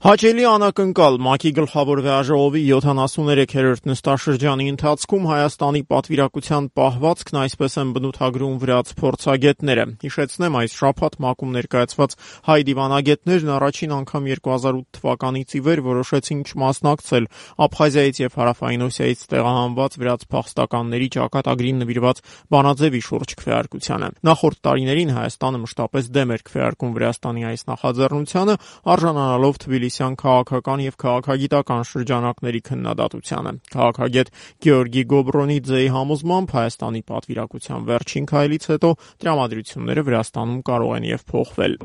Հաճելի անակնկալ ՄԱԿ-ի գլխավոր վեաժողովի 73-րդ նստաշրջանի ընթացքում Հայաստանի պատվիրակության պահվածքն այսպես են բնութագրում վրաց փորձագետները։ Հիշեցնեմ, այս շաբաթ ՄԱԿ-ում ներկայացված հայ դիվանագետներն առաջին անգամ 2008 թվականից ի վեր որոշեցին չմասնակցել Աբխազիայից եւ Հարավային Օսիայից տեղահանված վրաց փախստականների ճակատագրին նվիրված բանաձեւի շուրջ քվեարկությանը։ Նախորդ տարիներին Հայաստանը մշտապես դեմ էր քվեարկում Վրաստանի այս նախաձեռնությանը, արժանանալով Թբիլիսյան քաղաքական եւ քաղաքագիտական շրջանակների քննադատությանը։ Քաղաքագետ Գեորգի Գոբրոնիձեի համոզմամբ Հայաստանի պատվիրակության վերջին քայլից հետո տրամադրությունները Վրաստանում կարող են եւ փոխվել։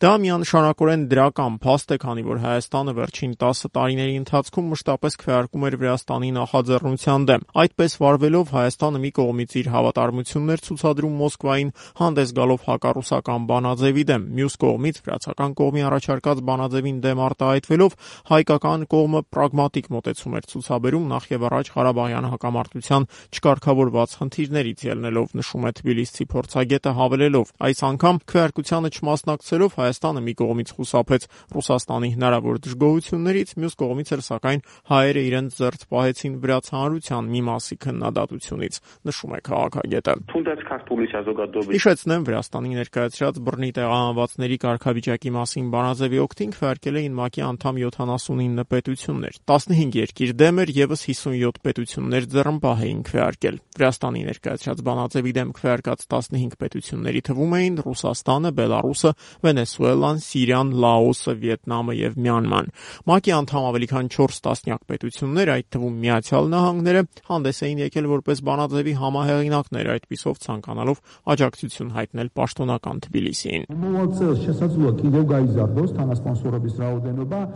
Դա միանշանակորեն դրական փաստ է, քանի որ Հայաստանը վերջին 10 տարիների ընթացքում մշտապես քվեարկում էր Վրաստանի նախաձեռնության դեմ։ Այդպես վարվելով Հայաստանը մի կողմից իր հավատարմություններ ցուցադրում Մոսկվային, հանդես գալով հակառուսական բանաձևի դեմ, մյուս կողմից վրացական կողմի առաջարկած բանաձևին դեմ արտահայտվելով հայկական կողմը պրագմատիկ մոտեցում էր ցուցաբերում նախ եւ առաջ Ղարաբաղյան հակամարտության չկարգավորված խնդիրներից ելնելով, նշում է թբիլիսցի փորձագետը, հավելելով. այս անգամ քվեարկությանը չմասնակցելով Հայաստանը մի կողմից խուսափեց Ռուսաստանի հնարավոր դժգոհություններից, մյուս կողմից էլ սակայն հայերը իրենց զերծ պահեցին վրաց հանրության մի մասի քննադատությունից, նշում է քաղաքագետը։ Հիշեցնեմ, Վրաստանի ներկայացրած բռնի տեղահանվածների կարգավիճակի մասին բանաձևի օգտին քվեարկել էին ՄԱԿ-ի անդամ 79 պետություններ։ 15 երկիր դեմ էր, եւս 57 պետություններ ձեռնպահ էին քվեարկել։ Վրաստանի ներկայացրած բանաձևի դեմ քվեարկած 15 պետությունների թվում էին Ռուսաստանը, Բելարուսը, Վենեսուելան, Սիրիան, Լաոսը, Վիետնամը եւ Մյանման։ ՄԱԿ-ի անդամ ավելի քան 4 տասնյակ պետություններ, այդ թվում Միացյալ Նահանգները, հանդես էին եկել որպես բանաձևի համահեղինակներ, այդպիսով ցանկանալով աջակցություն հայտնել պաշտոնական Թբիլիսիին։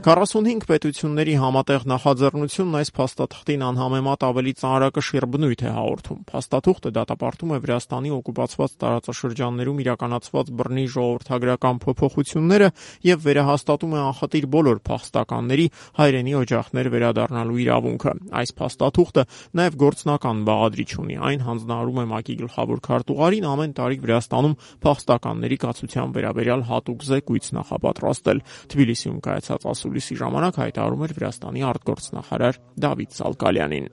45 պետությունների համատեղ նախաձեռնությունն այս փաստաթղթին անհամեմատ ավելի ծանրակշիռ բնույթ է հաղորդում։ Փաստաթուղթը դատապարտում է Վրաստանի օկուպացված տարածաշրջաններում իրականացված բռնի ժողովրդագրական փոփոխությունները եւ վերահաստատում է անխտիր բոլոր փախստականների հայրենի օջախներ վերադառնալու իրավունքը։ Այս փաստաթուղթը նաեւ գործնական բաղադրիչ ունի։ Այն հանձնարարում է ՄԱԿ-ի գլխավոր քարտուղարին ամեն տարի Վրաստանում փախստականների կացության վերաբերյալ հատուկ զեկույց նախապատրաստել։ Թբիլիսիում կայացած ասուլիսի ժամանակ հայտարարում էր Վրաստանի արտգործնախարար Դավիթ Զալկալյանին։